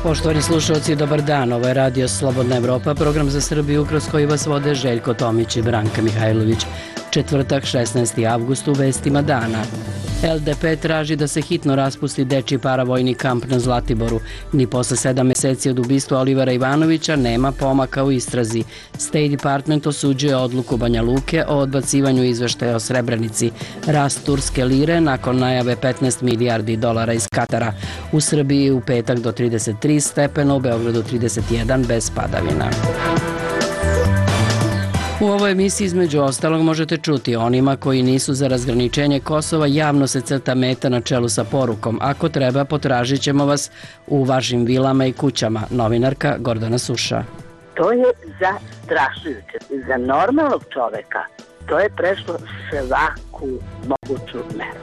Poštovani slušalci, dobar dan. Ovo je Radio Slobodna Evropa, program za Srbiju kroz koji vas vode Željko Tomić i Branka Mihajlović. Četvrtak, 16. avgust, u vestima dana. LDP traži da se hitno raspusti dečji paravojni kamp na Zlatiboru. Ni posle 7 meseci od ubistva Olivera Ivanovića nema pomaka u istrazi. State Department osuđuje odluku Banja Luke o odbacivanju izveštaja o Srebrenici. Rast turske lire nakon najave 15 milijardi dolara iz Katara. U Srbiji u petak do 33 stepena, u Beogradu 31 bez padavina. U ovoj emisiji između ostalog možete čuti: onima koji nisu za razgraničenje Kosova javno se crta meta na čelu sa porukom: ako treba, potražit ćemo vas u vašim vilama i kućama. Novinarka Gordana Suša. To je zastrašujuće. Za normalnog čoveka to je prešlo svaku moguću meru.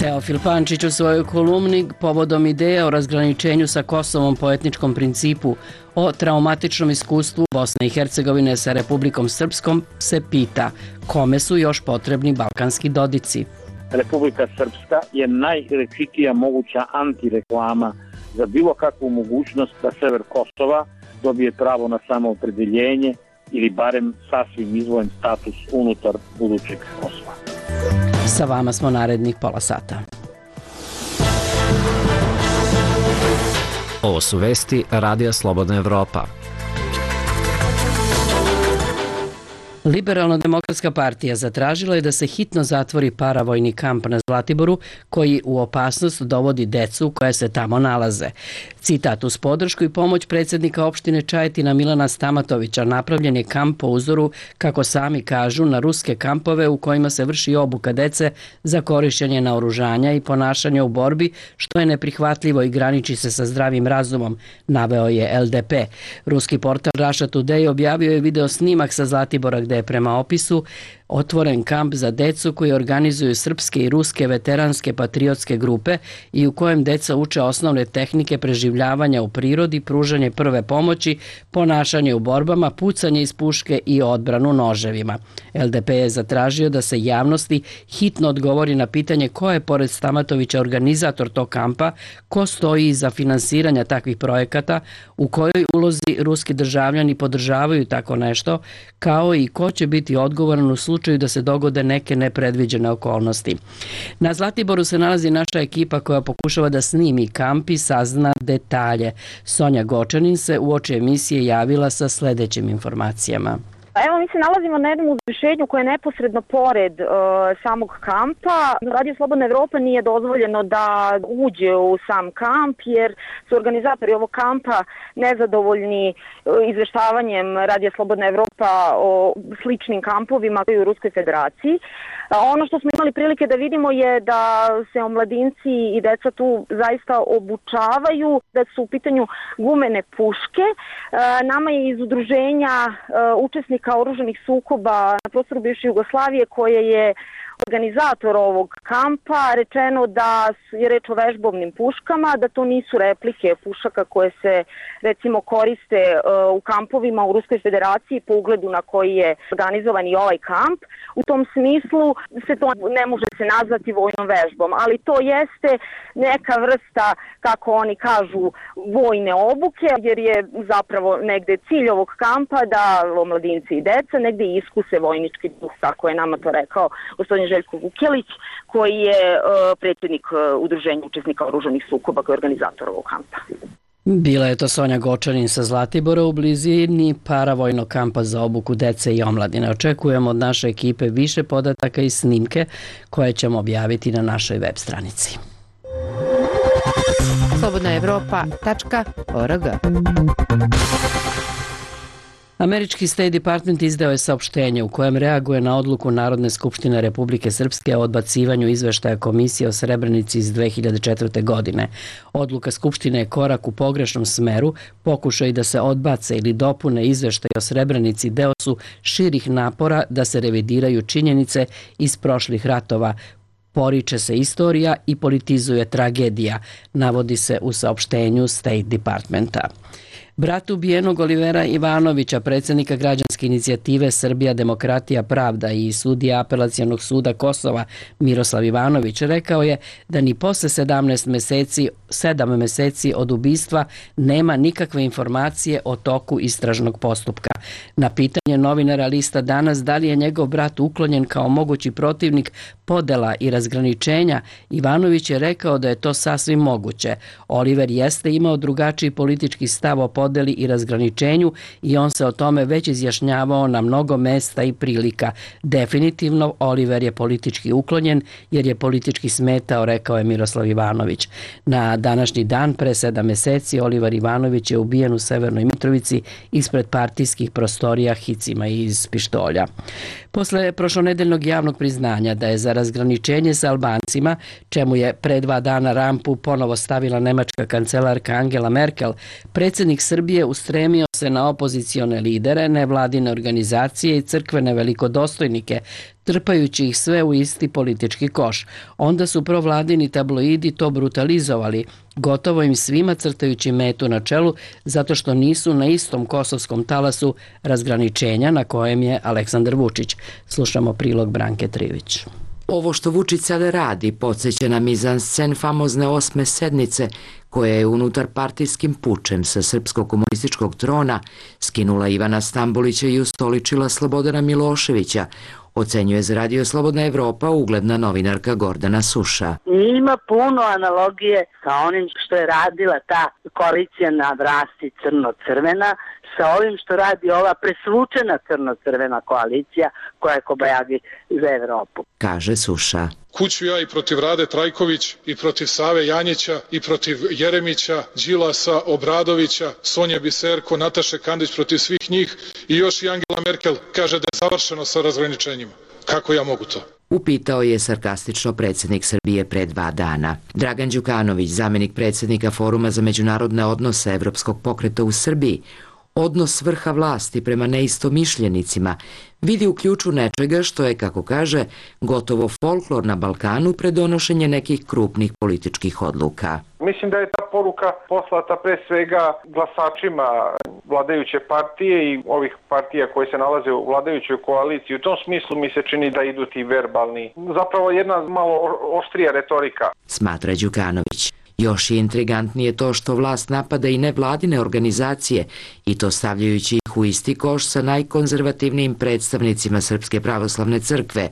Teofil Pančić u svojoj kolumni povodom ideje o razgraničenju sa Kosovom po etničkom principu, o traumatičnom iskustvu Bosne i Hercegovine sa Republikom Srpskom se pita: kome su još potrebni balkanski dodici? Republika Srpska je najrečitija moguća antireklama za bilo kakvu mogućnost da sever Kosova dobije pravo na samoopredeljenje ili barem sasvim izdvojen status unutar budućeg Kosova. Sa vama smo narednih pola sata. Ovo su vesti Radija Slobodna Evropa. Liberalno-demokratska partija zatražila je da se hitno zatvori paravojni kamp na Zlatiboru koji u opasnost dovodi decu koja se tamo nalaze. Citat: uz podršku i pomoć predsjednika opštine Čajetina Milana Stamatovića napravljen je kamp po uzoru, kako sami kažu, na ruske kampove u kojima se vrši obuka dece za korišćenje naoružanja i ponašanja u borbi, što je neprihvatljivo i graniči se sa zdravim razumom, naveo je LDP. Ruski portal Russia Today objavio je video snimak sa Zlatibora gde je prema opisu otvoren kamp za decu koji organizuju srpske i ruske veteranske patriotske grupe i u kojem deca uče osnovne tehnike preživljavanja u prirodi, pružanje prve pomoći, ponašanje u borbama, pucanje iz puške i odbranu noževima. LDP je zatražio da se javnosti hitno odgovori na pitanje ko je pored Stamatovića organizator tog kampa, ko stoji iza finansiranja takvih projekata, u kojoj ulozi ruski državljani podržavaju tako nešto, kao i ko će biti odgovoran u slučaju da se dogode neke nepredviđene okolnosti. Na Zlatiboru se nalazi naša ekipa koja pokušava da snimi kamp i sazna detalje. Sonja Gočanin se uoči emisije javila sa sledećim informacijama. Evo, mi se nalazimo na jednom uzvišenju koje je neposredno pored samog kampa. Radio Slobodna Evropa nije dozvoljeno da uđe u sam kamp jer su organizatori ovog kampa nezadovoljni izveštavanjem Radio Slobodna Evropa o sličnim kampovima u Ruskoj federaciji. Ono što smo imali prilike da vidimo je da se omladinci i deca tu zaista obučavaju, da su u pitanju gumene puške. Nama je iz udruženja učesnika oružanih sukoba na prostoru bivše Jugoslavije, koje je organizator ovog kampa, rečeno da je reč o vežbovnim puškama, da to nisu replike pušaka koje se recimo koriste u kampovima u Ruskoj federaciji po ugledu na koji je organizovan i ovaj kamp. U tom smislu se to ne može se nazvati vojnom vežbom, ali to jeste neka vrsta, kako oni kažu, vojne obuke, jer je zapravo negde cilj ovog kampa da omladinci i deca negde iskuse vojnički duh, tako je nama to rekao gospodin Željko Vukelić, koji je predsjednik udruženja učesnika oružanih sukoba, koji je organizator ovog kampa. Bila je to Sonja Gočanin sa Zlatibora u blizini paravojnog kampa za obuku dece i omladine. Očekujemo od naše ekipe više podataka i snimke koje ćemo objaviti na našoj web stranici. slobodnaevropa.org. Američki State Department izdao je saopštenje u kojem reaguje na odluku Narodne skupštine Republike Srpske o odbacivanju izveštaja Komisije o Srebrenici iz 2004. godine. Odluka Skupštine je korak u pogrešnom smeru, pokušaj da se odbace ili dopune izveštaje o Srebrenici deo su širih napora da se revidiraju činjenice iz prošlih ratova, poriče se istorija i politizuje tragedija, navodi se u saopštenju State Departmenta. Brat ubijenog Olivera Ivanovića, predsjednika građanske građanske inicijative Srbija, demokratija, pravda i sudija Apelacionog suda Kosova Miroslav Ivanović rekao je da ni posle 7 meseci od ubistva nema nikakve informacije o toku istražnog postupka. Na pitanje novinara lista Danas da li je njegov brat uklonjen kao mogući protivnik podela i razgraničenja, Ivanović je rekao da je to sasvim moguće. Oliver jeste imao drugačiji politički stav o podeli i razgraničenju i on se o tome već izjašnjavao na mnogo mesta i prilika. Definitivno, Oliver je politički uklonjen jer je politički smetao, rekao je Miroslav Ivanović. Na današnji dan, pre 7 meseci, Oliver Ivanović je ubijen u Severnoj Mitrovici ispred partijskih prostorija hicima iz pištolja. Posle prošlonedeljnog javnog priznanja da je za razgraničenje sa Albancima, čemu je pre 2 dana rampu ponovo stavila nemačka kancelarka Angela Merkel, predsjednik Srbije ustremio se na opozicione lidere, nevladine organizacije i crkvene velikodostojnike, trpajući ih sve u isti politički koš. Onda su provladini tabloidi to brutalizovali, gotovo im svima crtajući metu na čelu zato što nisu na istom kosovskom talasu razgraničenja na kojem je Aleksandar Vučić. Slušamo prilog Branke Trivić. Ovo što Vučić sada radi podsjeća na mizanscen famozne 8. sednice koja je unutar partijskim pučem sa srpskog komunističkog trona skinula Ivana Stambolića i ustoličila Slobodana Miloševića, ocenjuje za Radio Slobodna Evropa ugledna novinarka Gordana Suša. Ima puno analogije sa onim što je radila ta koalicija na vlasti crno-crvena, sa ovim što radi ova presvučena crno-crvena koalicija koja je kobajagi za Evropu. Kaže Suša. Kuću ja i protiv Rade Trajković, i protiv Save Janjića, i protiv Jeremića, Đilasa, Obradovića, Sonje Biserko, Nataše Kandić, protiv svih njih i još i Angela Merkel kaže da je završeno sa razgraničenjima. Kako ja mogu to? Upitao je sarkastično predsjednik Srbije pre 2 dana. Dragan Đukanović, zamenik predsjednika Foruma za međunarodne odnose Evropskog pokreta u Srbiji, odnos vrha vlasti prema neistomišljenicima vidi u ključu nečega što je, kako kaže, gotovo folklor na Balkanu pred donošenje nekih krupnih političkih odluka. Mislim da je ta poruka poslata pre svega glasačima vladajuće partije i ovih partija koje se nalaze u vladajućoj koaliciji. U tom smislu mi se čini da idu ti verbalni. Zapravo jedna malo oštrija retorika. Smatra Đukanović. Još je intrigantnije to što vlast napada i nevladine organizacije i to stavljajući ih u isti koš sa najkonzervativnijim predstavnicima Srpske pravoslavne crkve,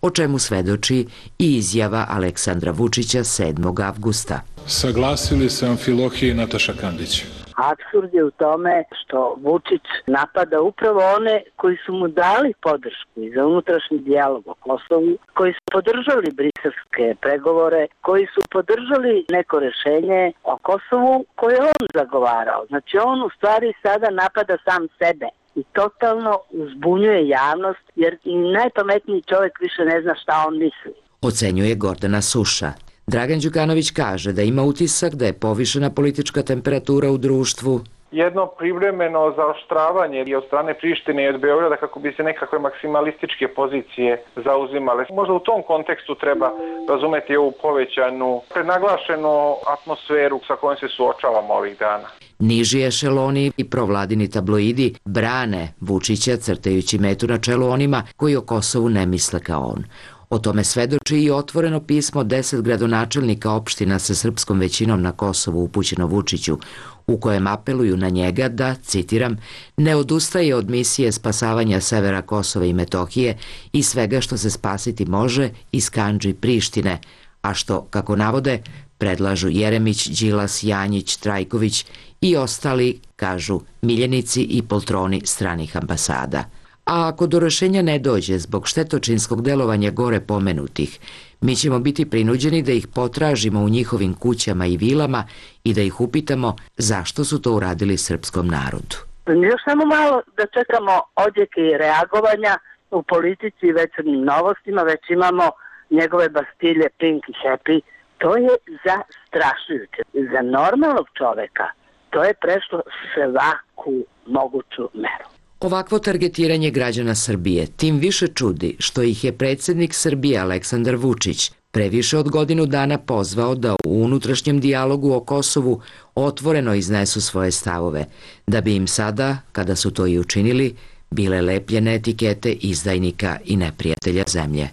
o čemu svedoči i izjava Aleksandra Vučića 7. avgusta. Saglasili se Amfilohije i Nataša Kandić. Apsurd je u tome što Vučić napada upravo one koji su mu dali podršku i za unutrašnji dijalog o Kosovu, koji su podržali briselske pregovore, koji su podržali neko rešenje o Kosovu koje je on zagovarao. Znači on u stvari sada napada sam sebe i totalno uzbunjuje javnost jer i najpametniji čovjek više ne zna šta on misli. Ocenjuje Gordana Suša. Dragan Đukanović kaže da ima utisak da je povišena politička temperatura u društvu. Jedno privremeno zaoštravanje i od strane Prištine i od Beograda kako bi se nekakve maksimalističke pozicije zauzimale. Možda u tom kontekstu treba razumeti ovu povećanu, prenaglašenu atmosferu sa kojom se suočavamo ovih dana. Niži ešeloni i provladini tabloidi brane Vučića crtajući metu na čelu onima koji o Kosovu ne misle kao on. O tome svedoči i otvoreno pismo 10 gradonačelnika opština sa srpskom većinom na Kosovu upućeno Vučiću, u kojem apeluju na njega da, citiram, ne odustaje od misije spasavanja severa Kosova i Metohije i svega što se spasiti može iz kandži Prištine, a što, kako navode, predlažu Jeremić, Đilas, Janjić, Trajković i ostali, kažu, miljenici i poltroni stranih ambasada. A ako do rešenja ne dođe zbog štetočinskog delovanja gore pomenutih, mi ćemo biti prinuđeni da ih potražimo u njihovim kućama i vilama i da ih upitamo zašto su to uradili srpskom narodu. Još samo malo da čekamo odjeke i reagovanja u politici i večernjim novostima, već imamo njegove bastilje Pink i Happy. To je zastrašujuće. Za normalnog čoveka to je prešlo svaku moguću meru. Ovakvo targetiranje građana Srbije tim više čudi što ih je predsjednik Srbije Aleksandar Vučić pre više od godinu dana pozvao da u unutrašnjem dijalogu o Kosovu otvoreno iznesu svoje stavove, da bi im sada, kada su to i učinili, bile lepljene etikete izdajnika i neprijatelja zemlje.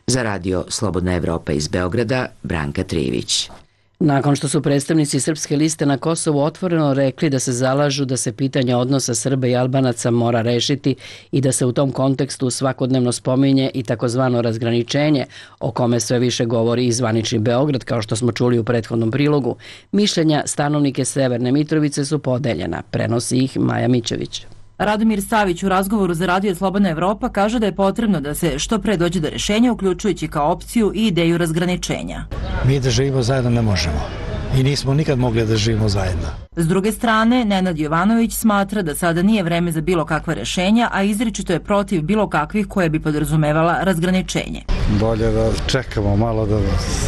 Za radio Slobodna Evropa iz Beograda, Branka Trivić. Nakon što su predstavnici Srpske liste na Kosovu otvoreno rekli da se zalažu da se pitanje odnosa Srba i Albanaca mora rešiti i da se u tom kontekstu svakodnevno spominje i takozvano razgraničenje, o kome sve više govori i zvanični Beograd, kao što smo čuli u prethodnom prilogu, mišljenja stanovnike Severne Mitrovice su podeljena, prenosi ih Maja Mićević. Radomir Savić u razgovoru za radio Slobodna Evropa kaže da je potrebno da se što pre dođe do rešenja, uključujući kao opciju i ideju razgraničenja. Mi da živimo zajedno ne možemo i nismo nikad mogli da živimo zajedno. S druge strane, Nenad Jovanović smatra da sada nije vreme za bilo kakva rešenja, a izričito je protiv bilo kakvih koje bi podrazumevala razgraničenje. Bolje da čekamo malo, da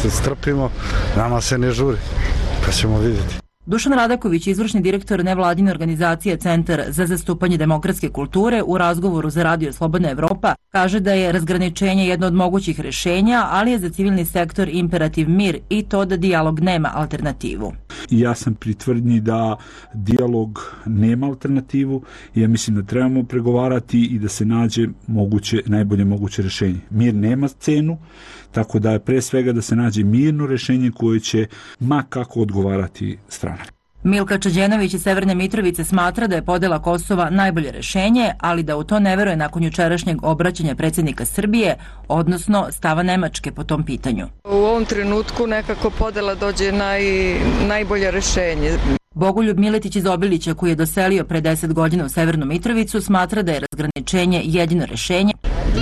se strpimo, nama se ne žuri, pa ćemo vidjeti. Dušan Radaković, izvršni direktor nevladine organizacije Centar za zastupanje demokratske kulture, u razgovoru za radio Slobodna Evropa kaže da je razgraničenje jedno od mogućih rešenja, ali je za civilni sektor imperativ mir i to da dijalog nema alternativu. Ja sam pri tvrdnji da dijalog nema alternativu i ja mislim da trebamo pregovarati i da se nađe najbolje moguće rešenje. Mir nema cenu, tako da je pre svega da se nađe mirno rešenje koje će ma kako odgovarati strana. Milka Čađenović iz Severne Mitrovice smatra da je podela Kosova najbolje rešenje, ali da u to ne veruje nakon jučerašnjeg obraćanja predsjednika Srbije, odnosno stava Nemačke po tom pitanju. U ovom trenutku nekako podela dođe najbolje rešenje. Bogoljub Miletić iz Obilića, koji je doselio pre 10 godina u Severnu Mitrovicu, smatra da je razgraničenje jedino rešenje.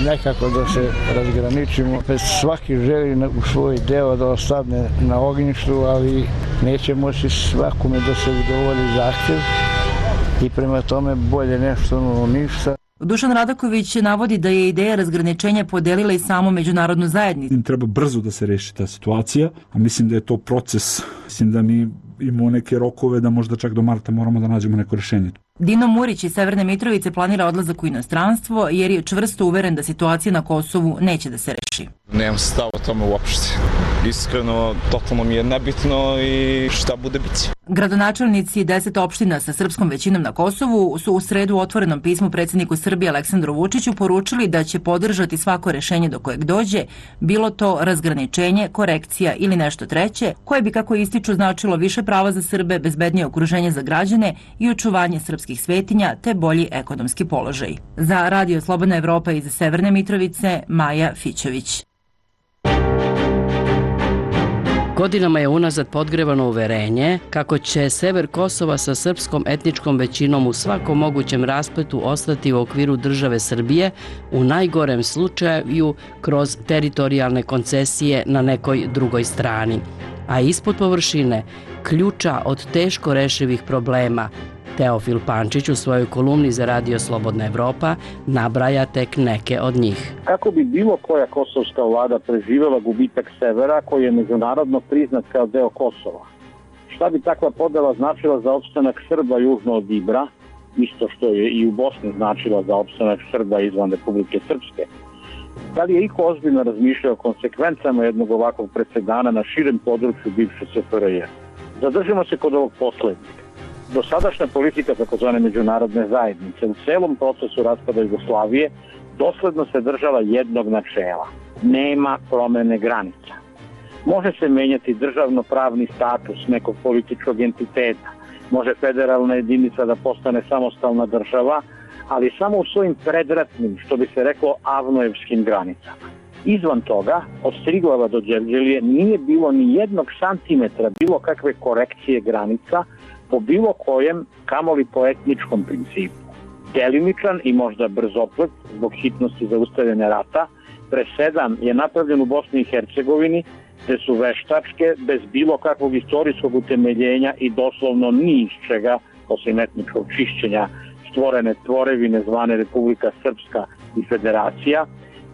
Nekako da se razgraničimo, svaki želi u svoj deo da ostane na ognjištu, ali neće moći svakome da se udovolji zahtjev i prema tome bolje nešto nego ništa. Dušan Radaković navodi da je ideja razgraničenja podelila i samu međunarodnu zajednicu. Treba brzo da se reši ta situacija, a mislim da je to proces. Mislim da mi imamo neke rokove da možda čak do marta moramo da nađemo neko rešenje. Dino Murić iz Severne Mitrovice planira odlazak u inostranstvo jer je čvrsto uveren da situacija na Kosovu neće da se reši. Nemam stav o tome uopšte. Iskreno, totalno mi je nebitno i šta bude biće. Gradonačelnici 10 opština sa srpskom većinom na Kosovu su u sredu u otvorenom pismu predsjedniku Srbije Aleksandru Vučiću poručili da će podržati svako rešenje do kojeg dođe, bilo to razgraničenje, korekcija ili nešto treće, koje bi, kako ističu, značilo više prava za Srbe, bezbednije okruženje za građane i očuvanje srpskih svetinja te bolji ekonomski položaj. Za radio Slobodna Evropa iz Severne Mitrovice, Maja Fićević. Godinama je unazad podgrevano uverenje kako će sever Kosova sa srpskom etničkom većinom u svakom mogućem raspletu ostati u okviru države Srbije, u najgorem slučaju kroz teritorijalne koncesije na nekoj drugoj strani. A ispod površine ključa od teško rešivih problema Teofil Pančić u svojoj kolumni za radio Slobodna Evropa nabraja tek neke od njih. Kako bi bilo koja kosovska vlada preživjela gubitak severa koji je međunarodno priznat kao deo Kosova? Šta bi takva podela značila za opstanak Srba južno od Ibra, isto što je i u Bosni značila za opstanak Srba izvan Republike Srpske? Da li je iko ozbiljno razmišljao o konsekvencama jednog ovakvog presedana na širem području bivše SFRJ? Zadržimo se kod ovog poslednjeg. Dosadašnja politika takozvane međunarodne zajednice u celom procesu raspada Jugoslavije dosledno se držala jednog načela. Nema promene granica. Može se menjati državno-pravni status nekog političkog entiteta, može federalna jedinica da postane samostalna država, ali samo u svojim predratnim, što bi se reklo, avnojevskim granicama. Izvan toga, od Striglava do Đevđelije nije bilo ni jednog santimetra bilo kakve korekcije granica po bilo kojem, kamoli po etničkom principu. Delimičan i možda brzoplet, zbog hitnosti zaustavljanja rata, presedan je napravljen u Bosni i Hercegovini, gde su veštačke, bez bilo kakvog istorijskog utemeljenja i doslovno ni iz čega, osim etničkog čišćenja, stvorene tvorevine zvane Republika Srpska i Federacija,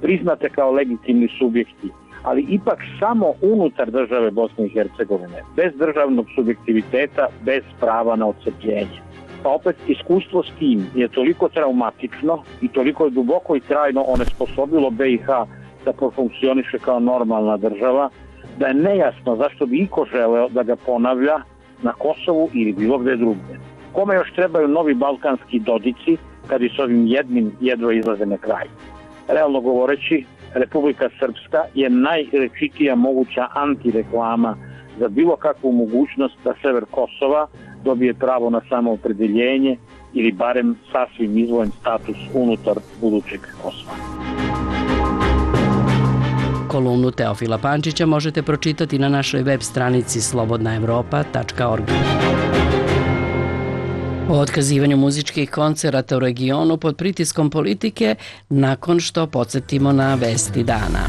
priznate kao legitimni subjekti, ali ipak samo unutar države Bosne i Hercegovine, bez državnog subjektiviteta, bez prava na odcepljenje. Pa opet, iskustvo s tim je toliko traumatično i toliko je duboko i trajno onesposobilo BiH da profunkcioniše kao normalna država, da je nejasno zašto bi iko želeo da ga ponavlja na Kosovu ili bilo gde drugde. Kome još trebaju novi balkanski Dodici kad i s ovim jednim jedva izlaze na kraj. Realno govoreći, Republika Srpska je najrečitija moguća antireklama za bilo kakvu mogućnost da sever Kosova dobije pravo na samoopredeljenje ili barem sasvim izdvojen status unutar budućeg Kosova. Kolumnu Teofila Pančića možete pročitati na našoj web stranici slobodnaevropa.org. O otkazivanju muzičkih koncerata u regionu pod pritiskom politike nakon što podsjetimo na vesti dana.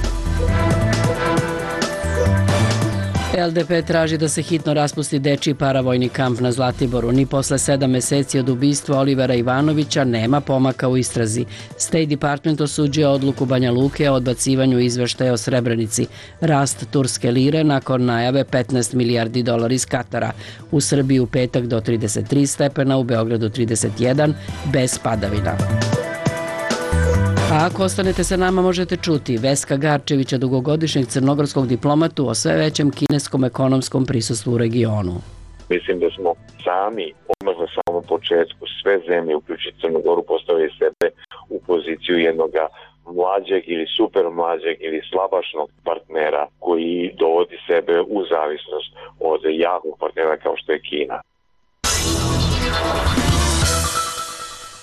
LDP traži da se hitno raspusti dečiji paravojni kamp na Zlatiboru. Ni posle 7 meseci od ubistva Olivera Ivanovića nema pomaka u istrazi. State Department osuđuje odluku Banja Luke o odbacivanju izveštaja o Srebrenici. Rast turske lire nakon najave 15 milijardi dolara iz Katara. U Srbiji u petak do 33 stepena, u Beogradu 31, bez padavina. A ako ostanete sa nama možete čuti Veska Garčevića, dugogodišnjeg crnogorskog diplomatu, o sve većem kineskom ekonomskom prisustvu u regionu. Mislim da smo sami, odmah na samom početku, sve zemlje, uključujući Crnogoru, postavili sebe u poziciju jednog mlađeg ili super mlađeg ili slabašnog partnera koji dovodi sebe u zavisnost od jakog partnera kao što je Kina.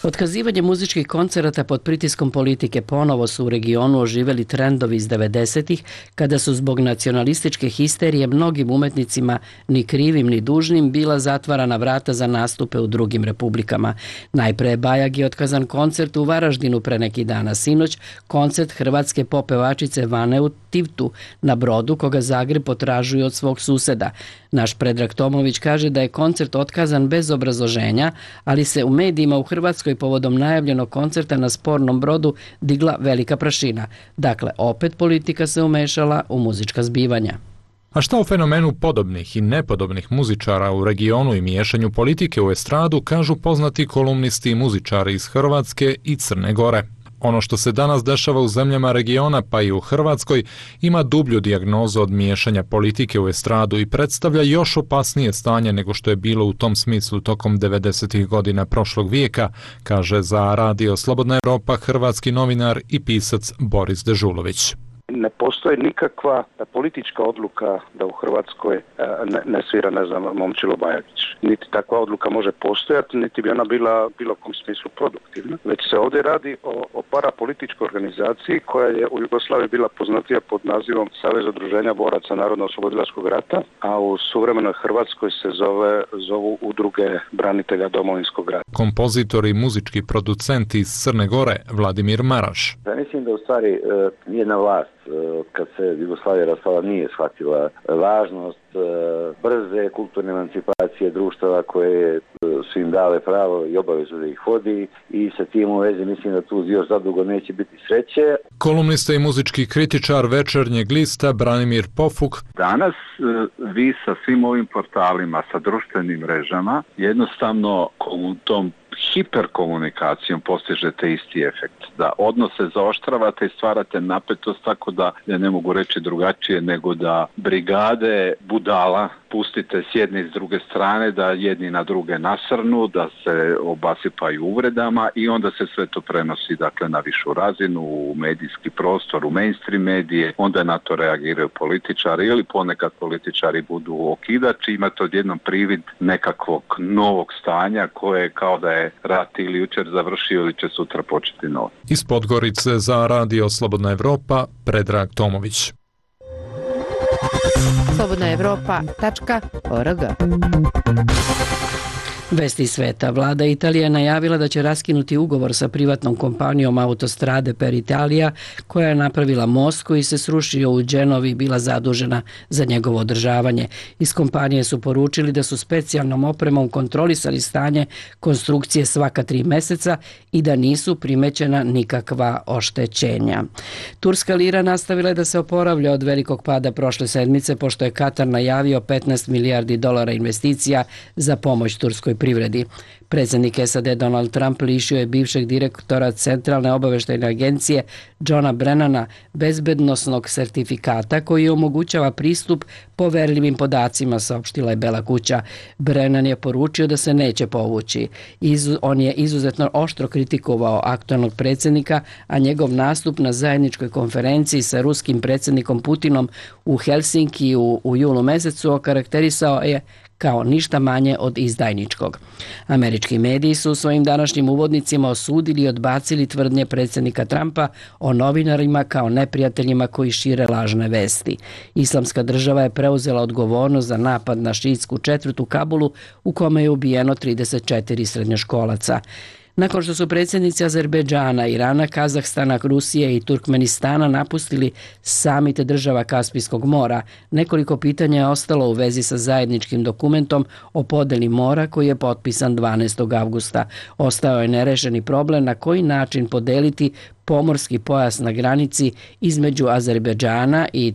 Otkazivanje muzičkih koncerata pod pritiskom politike ponovo su u regionu oživeli trendovi iz 90-ih, kada su zbog nacionalističke histerije mnogim umetnicima, ni krivim ni dužnim, bila zatvarana vrata za nastupe u drugim republikama. Najpre je Bajagi otkazan koncert u Varaždinu pre neki dana. Sinoć koncert hrvatske pop pevačice Vane u Tivtu na Brodu, koga Zagreb potražuje od svog suseda. Naš Predrag Tomović kaže da je koncert otkazan bez obrazloženja, ali se u medijima u Hrvatskoj povodom najavljenog koncerta na spornom Brodu digla velika prašina. Dakle, opet politika se umešala u muzička zbivanja. A šta o fenomenu podobnih i nepodobnih muzičara u regionu i miješanju politike u estradu kažu poznati kolumnisti i muzičari iz Hrvatske i Crne Gore? Ono što se danas dešava u zemljama regiona, pa i u Hrvatskoj, ima dublju dijagnozu od miješanja politike u estradu i predstavlja još opasnije stanje nego što je bilo u tom smislu tokom 90. godina prošlog vijeka, kaže za Radio Slobodna Evropa hrvatski novinar i pisac Boris Dežulović. Ne postoji nikakva politička odluka da u Hrvatskoj ne svira, Momčilo Bajagić. Niti takva odluka može postojati, niti bi ona bila bilo kom smislu produktivna. Već se ovdje radi o parapolitičkoj organizaciji koja je u Jugoslaviji bila poznatija pod nazivom Savez udruženja boraca Narodno-oslobodilačkog rata, a u suvremenoj Hrvatskoj se zovu Udruge branitelja Domovinskog rata. Kompozitor i muzički producent iz Crne Gore Vladimir Maraš. Ja mislim da u stvari jedna vlast kad se Jugoslavija raspala nije shvatila važnost brze kulturne emancipacije društava koje su im dale pravo i obavezu da ih vodi i sa tim u vezi mislim da tu još zadugo neće biti sreće. Kolumnista i muzički kritičar Večernjeg lista Branimir Pofuk. Danas vi sa svim ovim portalima, sa društvenim mrežama jednostavno tom hiperkomunikacijom postižete isti efekt. Da odnose zaoštravate i stvarate napetost tako da, ja ne mogu reći drugačije, nego da brigade budala pustite s jedne i s druge strane, da jedni na druge nasrnu, da se obasipaju uvredama i onda se sve to prenosi dakle na višu razinu, u medijski prostor, u mainstream medije, onda na to reagiraju političari ili ponekad političari budu okidači, imate odjednom privid nekakvog novog stanja koje kao da je rat ili jučer završio ili će sutra početi novo. Iz Podgorice za Radio Slobodna Evropa, Predrag Tomović. slobodnaevropa.org. Vesti sveta. Vlada Italije je najavila da će raskinuti ugovor sa privatnom kompanijom Autostrade per Italia, koja je napravila most koji se srušio u Genovi i bila zadužena za njegovo održavanje. Iz kompanije su poručili da su specijalnom opremom kontrolisali stanje konstrukcije svaka 3 meseca i da nisu primećena nikakva oštećenja. Turska lira nastavila je da se oporavlja od velikog pada prošle sedmice, pošto je Katar najavio 15 milijardi dolara investicija za pomoć turskoj poljoprivredi. Predsjednik SAD Donald Trump lišio je bivšeg direktora Centralne obaveštajne agencije Johna Brennana bezbednosnog sertifikata koji omogućava pristup poverljivim podacima, saopštila je Bela kuća. Brennan je poručio da se neće povući. On je izuzetno oštro kritikovao aktualnog predsjednika, a njegov nastup na zajedničkoj konferenciji sa ruskim predsjednikom Putinom u Helsinkiju u julu mesecu okarakterisao je kao ništa manje od izdajničkog. Američki mediji su u svojim današnjim uvodnicima osudili i odbacili tvrdnje predsjednika Trumpa o novinarima kao neprijateljima koji šire lažne vesti. Islamska država je preuzela odgovornost za napad na šiitsku četvrt u Kabulu u kome je ubijeno 34 srednjoškolaca. Nakon što su predsjednici Azerbejdžana, Irana, Kazahstana, Rusije i Turkmenistana napustili samite država Kaspijskog mora, nekoliko pitanja je ostalo u vezi sa zajedničkim dokumentom o podeli mora koji je potpisan 12. avgusta. Ostao je nerešeni problem na koji način podeliti pomorski pojas na granici između Azerbejdžana i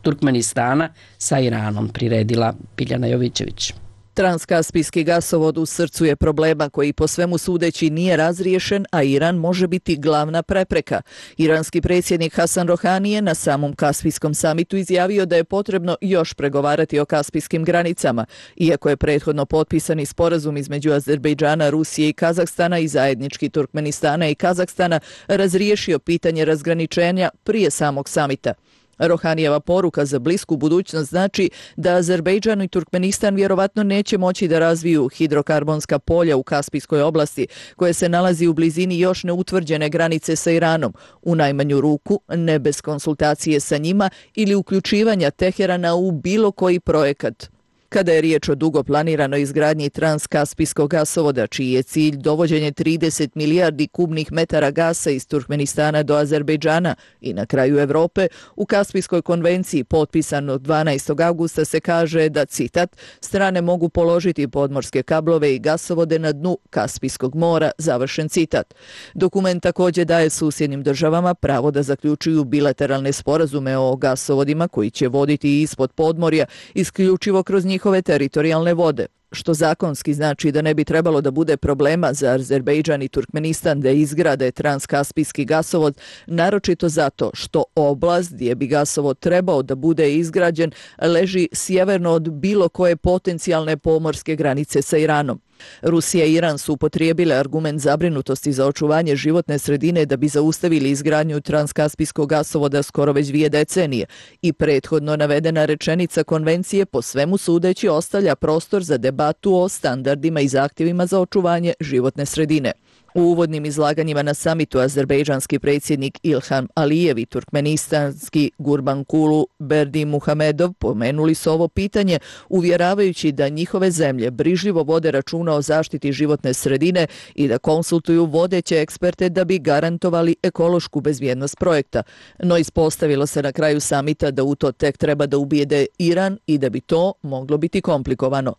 Turkmenistana sa Iranom, priredila Biljana Jovićević. Transkaspijski gasovod u srcu je problema koji po svemu sudeći nije razriješen, a Iran može biti glavna prepreka. Iranski predsjednik Hasan Rohani je na samom Kaspijskom samitu izjavio da je potrebno još pregovarati o kaspijskim granicama, iako je prethodno potpisani sporazum između Azerbejdžana, Rusije i Kazahstana i zajednički Turkmenistana i Kazahstana razriješio pitanje razgraničenja prije samog samita. Rohanijeva poruka za blisku budućnost znači da Azerbejdžan i Turkmenistan vjerovatno neće moći da razviju hidrokarbonska polja u Kaspijskoj oblasti, koje se nalazi u blizini još neutvrđene granice sa Iranom, u najmanju ruku ne bez konsultacije sa njima ili uključivanja Teherana u bilo koji projekat. Kada je riječ o dugo planiranoj izgradnji transkaspijskog gasovoda, čiji je cilj dovođenje 30 milijardi kubnih metara gasa iz Turkmenistana do Azerbejdžana i na kraju Evrope, u Kaspijskoj konvenciji potpisano 12. avgusta se kaže da, citat, strane mogu položiti podmorske kablove i gasovode na dnu Kaspijskog mora, završen citat. Dokument također daje susjednim državama pravo da zaključuju bilateralne sporazume o gasovodima koji će voditi ispod podmorja isključivo kroz njihove teritorijalne vode, što zakonski znači da ne bi trebalo da bude problema za Azerbejdžan i Turkmenistan da izgrade transkaspijski gasovod, naročito zato što oblast gdje bi gasovod trebao da bude izgrađen leži sjeverno od bilo koje potencijalne pomorske granice sa Iranom. Rusija i Iran su upotrijebile argument zabrinutosti za očuvanje životne sredine da bi zaustavili izgradnju transkaspijskog gasovoda skoro već 2 decenije i prethodno navedena rečenica konvencije po svemu sudeći ostavlja prostor za debatu o standardima i zahtjevima za očuvanje životne sredine. U uvodnim izlaganjima na samitu azerbejdžanski predsjednik Ilham Alijev i turkmenistanski Gurbankulu Berdimuhamedov pomenuli su ovo pitanje, uvjeravajući da njihove zemlje brižljivo vode računa o zaštiti životne sredine i da konsultuju vodeće eksperte da bi garantovali ekološku bezbjednost projekta. No ispostavilo se na kraju samita da u to tek treba da ubijede Iran i da bi to moglo biti komplikovano.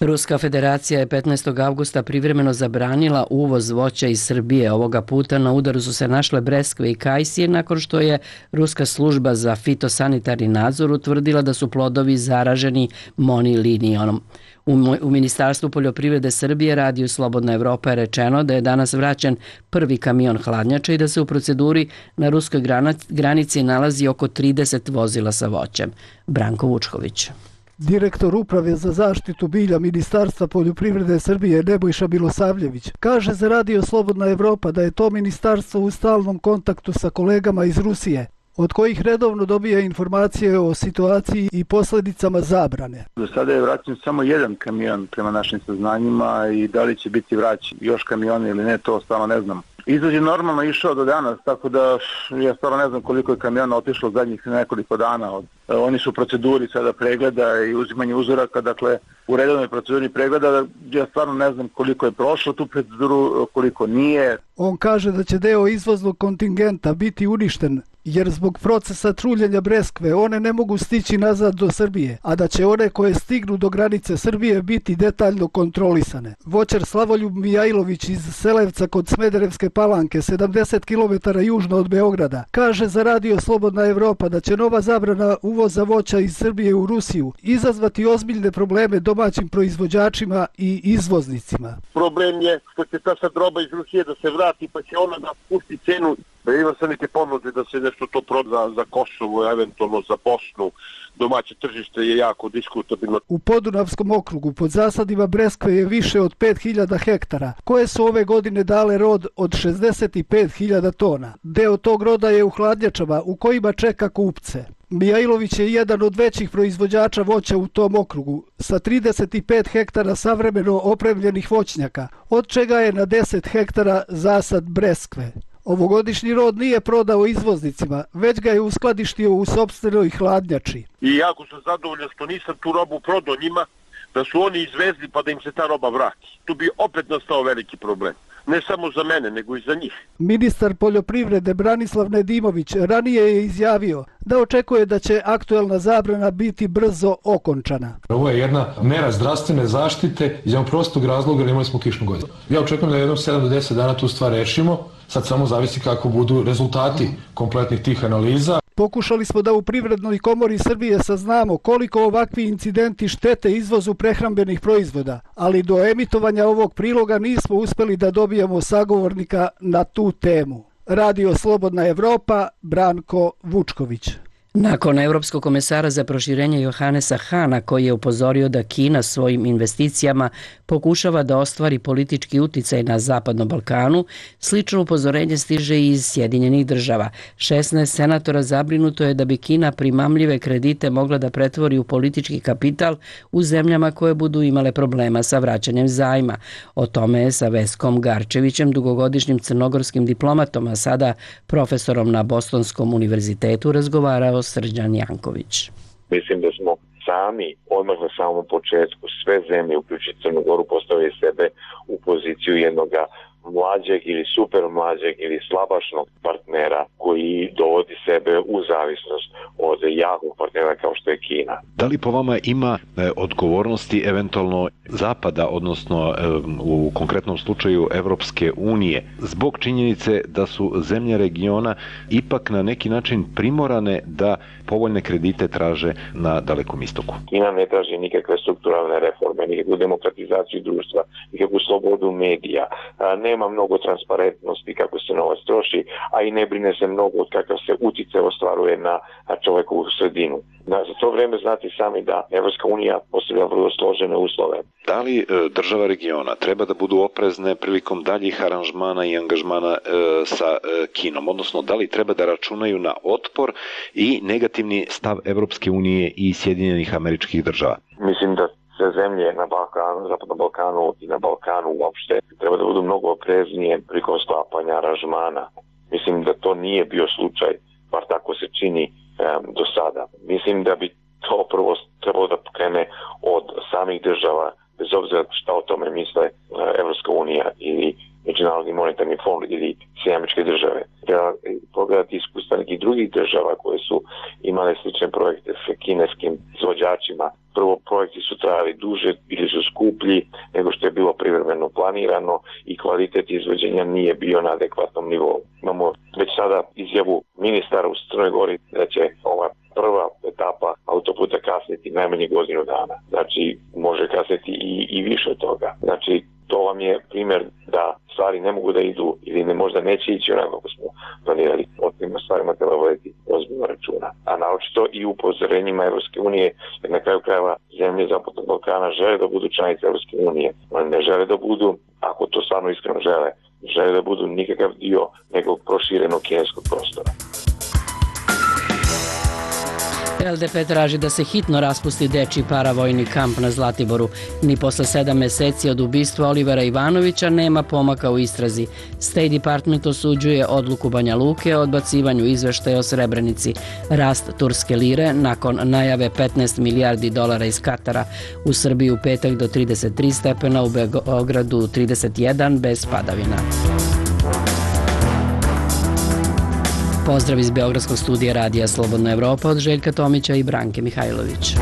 Ruska federacija je 15. avgusta privremeno zabranila uvoz voća iz Srbije. Ovoga puta na udaru su se našle breskve i kajsije nakon što je Ruska služba za fitosanitarni nadzor utvrdila da su plodovi zaraženi monilinijonom. U Ministarstvu poljoprivrede Srbije Radiju Slobodna Evropa je rečeno da je danas vraćen prvi kamion hladnjača i da se u proceduri na ruskoj granici nalazi oko 30 vozila sa voćem. Branko Vučković. Direktor Uprave za zaštitu bilja Ministarstva poljoprivrede Srbije Nebojša Milosavljević kaže za Radio Slobodna Evropa da je to ministarstvo u stalnom kontaktu sa kolegama iz Rusije, od kojih redovno dobija informacije o situaciji i posljedicama zabrane. Do sada je vraćen samo jedan kamion prema našim saznanjima i da li će biti vraćen još kamion ili ne, to stvarno ne znam. Izvoz je normalno išao do danas, tako da ja stvarno ne znam koliko je kamiona otišlo zadnjih nekoliko dana. Oni su u proceduri sada pregleda i uzimanje uzoraka, dakle u redovnoj proceduri pregleda, ja stvarno ne znam koliko je prošlo tu proceduru, koliko nije. On kaže da će deo izvoznog kontingenta biti uništen jer zbog procesa truljenja breskve one ne mogu stići nazad do Srbije, a da će one koje stignu do granice Srbije biti detaljno kontrolisane. Voćar Slavoljub Mijailović iz Selevca kod Smederevske Palanke, 70 km južno od Beograda, kaže za Radio Slobodna Evropa da će nova zabrana uvoza voća iz Srbije u Rusiju izazvati ozbiljne probleme domaćim proizvođačima i izvoznicima. Problem je što će ta sad roba iz Rusije da se vrati pa će ona da pusti cenu. Ima se neke ponude da se nešto to proda za Kosovo, eventualno za Bosnu. Domaće tržište je jako diskutabilno. U Podunavskom okrugu pod zasadima breskve je više od 5000 hektara, koje su ove godine dale rod od 65.000 tona. Deo tog roda je u hladnjačama u kojima čeka kupce. Mijailović je jedan od većih proizvođača voća u tom okrugu, sa 35 hektara savremeno opremljenih voćnjaka, od čega je na 10 hektara zasad breskve. Ovogodišnji rod nije prodao izvoznicima, već ga je uskladištio u sopstvenoj hladnjači. I jako sam zadovoljan što nisam tu robu prodao njima, da su oni izvezli pa da im se ta roba vrati. Tu bi opet nastao veliki problem. Ne samo za mene, nego i za njih. Ministar poljoprivrede Branislav Nedimović ranije je izjavio da očekuje da će aktuelna zabrana biti brzo okončana. Ovo je jedna mera zdravstvene zaštite iz jednog prostog razloga jer imali smo kišnu godinu. Ja očekujem da jednom 7 do 10 dana tu stvar rešimo. Sad samo zavisi kako budu rezultati kompletnih tih analiza. Pokušali smo da u Privrednoj komori Srbije saznamo koliko ovakvi incidenti štete izvozu prehrambenih proizvoda, ali do emitovanja ovog priloga nismo uspeli da dobijemo sagovornika na tu temu. Radio Slobodna Evropa, Branko Vučković. Nakon Evropskog komesara za proširenje Johannesa Hana, koji je upozorio da Kina svojim investicijama pokušava da ostvari politički uticaj na Zapadnom Balkanu, slično upozorenje stiže i iz Sjedinjenih država. 16 senatora zabrinuto je da bi Kina primamljive kredite mogla da pretvori u politički kapital u zemljama koje budu imale problema sa vraćanjem zajma. O tome je sa Veskom Garčevićem, dugogodišnjim crnogorskim diplomatom, a sada profesorom na Bostonskom univerzitetu, razgovarao Srđan Janković. Mislim da smo sami, odmah na samom početku, sve zemlje, uključujući Crnu Goru, postavili sebe u poziciju jednog mlađeg ili super mlađeg ili slabašnog partnera koji dovodi sebe u zavisnost od jakog partnera kao što je Kina. Da li po vama ima odgovornosti eventualno Zapada, odnosno u konkretnom slučaju Evropske unije, zbog činjenice da su zemlje regiona ipak na neki način primorane da povoljne kredite traže na Dalekom istoku? Kina ne traži nikakve strukturalne reforme, nikakvu demokratizaciju društva, nikakvu slobodu medija, nema mnogo transparentnosti kako se novac troši, a i ne brine se mnogo od kakav se utjecaj ostvaruje na čovekovu sredinu. Za to vreme znate sami da Evropska unija postavlja vrlo složene uslove. Da li država regiona treba da budu oprezne prilikom daljih aranžmana i angažmana sa Kinom, odnosno da li treba da računaju na otpor i negativni stav Evropske unije i Sjedinjenih Američkih Država? Mislim da sve zemlje na Balkanu, Zapadnom Balkanu i na Balkanu uopšte treba da budu mnogo opreznije prilikom sklapanja aranžmana. Mislim da to nije bio slučaj, bar tako se čini do sada. Mislim da bi to prvo trebalo da pokrene od samih država, bez obzira šta o tome misle Evropska unija ili Međunarodni monetarni fond ili Sjedinjene Američke Države. Treba pogledati iskustva nekih drugih država koje su imale slične projekte s kineskim izvođačima. Prvo, projekti su trajali duže, bili su skuplji nego što je bilo privremeno planirano i kvalitet izvođenja nije bio na adekvatnom nivou. Imamo već sada izjavu ministara u Crnoj Gori da će ova prva etapa autoputa kasniti najmanje godinu dana. Znači, može kasniti i više od toga. Znači, to vam je primjer da stvari ne mogu da idu ili možda neće ići onako kako smo planirali. O tim stvarima treba voditi ozbiljno računa. A naročito i upozorenjima Evropske unije, jer na kraju krajeva zemlje Zapadnog Balkana žele da budu članice Evropske unije. Oni ne žele da budu, ako to stvarno iskreno žele da budu nikakav dio nekog proširenog kineskog prostora. LDP traži da se hitno raspusti dečiji paravojni kamp na Zlatiboru. Ni posle 7 meseci od ubistva Olivera Ivanovića nema pomaka u istrazi. State Department osuđuje odluku Banja Luke o odbacivanju izveštaja o Srebrenici. Rast turske lire nakon najave 15 milijardi dolara iz Katara. U Srbiji u petak do 33 stepena, u Beogradu 31 bez padavina. Pozdrav iz Beogradskog studija Radija Slobodna Evropa od Željka Tomića i Branke Mihajlović.